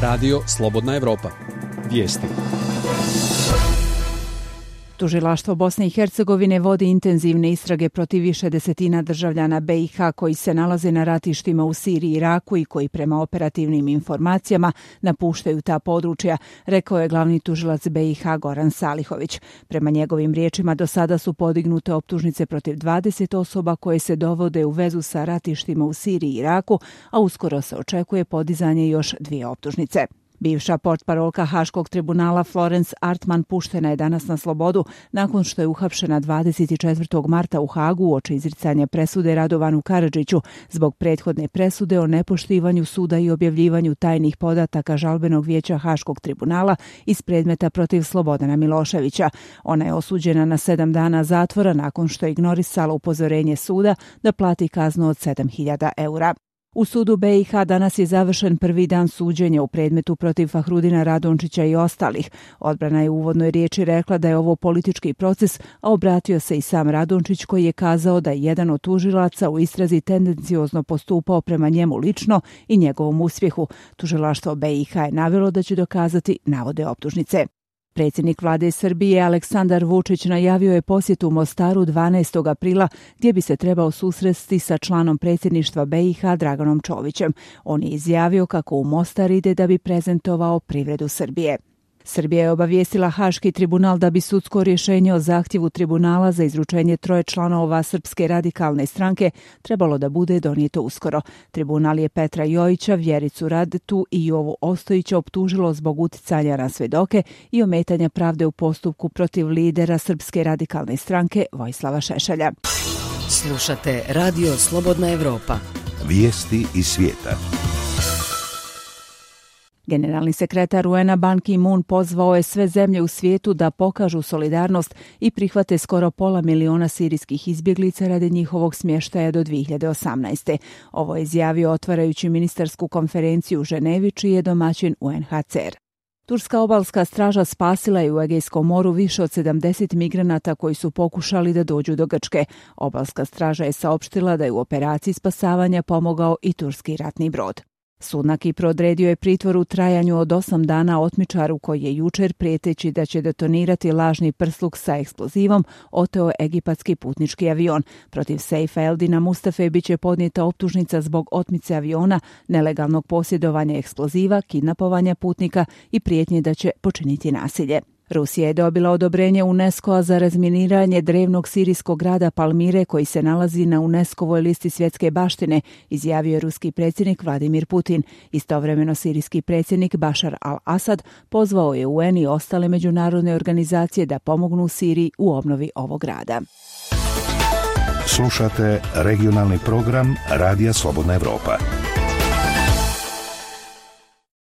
Radio Slobodna Evropa. Vijesti. Tužilaštvo Bosne i Hercegovine vodi intenzivne istrage protiv više desetina državljana BiH koji se nalaze na ratištima u Siriji i Iraku i koji prema operativnim informacijama napuštaju ta područja, rekao je glavni tužilac BiH Goran Salihović. Prema njegovim riječima do sada su podignute optužnice protiv 20 osoba koje se dovode u vezu sa ratištima u Siriji i Iraku, a uskoro se očekuje podizanje još 2 optužnice. Bivša portparolka Haškog tribunala Florence Artman puštena je danas na slobodu nakon što je uhapšena 24. marta u Hagu uoči izricanja presude Radovanu Karadžiću zbog prethodne presude o nepoštivanju suda i objavljivanju tajnih podataka žalbenog vijeća Haškog tribunala iz predmeta protiv Slobodana Miloševića. Ona je osuđena na 7 dana zatvora nakon što je ignorisala upozorenje suda da plati kaznu od 7.000 eura. U sudu BiH danas je završen prvi dan suđenja u predmetu protiv Fahrudina Radončića i ostalih. Odbrana je u uvodnoj riječi rekla da je ovo politički proces, a obratio se i sam Radončić koji je kazao da je jedan od tužilaca u istrazi tendenciozno postupao prema njemu lično i njegovom uspjehu. Tužilaštvo BiH je navelo da će dokazati navode optužnice. Predsjednik vlade Srbije Aleksandar Vučić najavio je posjetu Mostaru 12. aprila gdje bi se trebao susresti sa članom predsjedništva BiH Draganom Čovićem. On je izjavio kako u Mostar ide da bi prezentovao privredu Srbije. Srbija je obavijestila Haški tribunal da bi sudsko rješenje o zahtjevu tribunala za izručenje 3 članova Srpske radikalne stranke trebalo da bude donijeto uskoro. Tribunal je Petra Jojića, Vjericu Radetu i Jovu Ostojića optužilo zbog uticanja na svedoke i ometanja pravde u postupku protiv lidera Srpske radikalne stranke Vojislava Šešelja. Slušate Radio Slobodna Evropa. Vijesti iz svijeta. Generalni sekretar UN-a Ban Ki-moon pozvao je sve zemlje u svijetu da pokažu solidarnost i prihvate skoro 500.000 sirijskih izbjeglica radi njihovog smještaja do 2018. Ovo je izjavio otvarajući ministarsku konferenciju u Ženevi, čiji je domaćin UNHCR. Turska obalska straža spasila je u Egejskom moru više od 70 migranata koji su pokušali da dođu do Grčke. Obalska straža je saopštila da je u operaciji spasavanja pomogao i turski ratni brod. Sud Kipru odredio je pritvor u trajanju od 8 dana otmičaru koji je jučer, prijeteći da će detonirati lažni prsluk sa eksplozivom, oteo egipatski putnički avion. Protiv Sejfa Eldina Mustafe biće podnijeta optužnica zbog otmice aviona, nelegalnog posjedovanja eksploziva, kidnapovanja putnika i prijetnje da će počiniti nasilje. Rusija je dobila odobrenje UNESCO-a za razminiranje drevnog sirijskog grada Palmire koji se nalazi na UNESCO-voj listi svjetske baštine, izjavio je ruski predsjednik Vladimir Putin. Istovremeno sirijski predsjednik Bašar al-Asad pozvao je UN i ostale međunarodne organizacije da pomognu Siriji u obnovi ovog grada. Slušate regionalni program Radija Slobodna Evropa.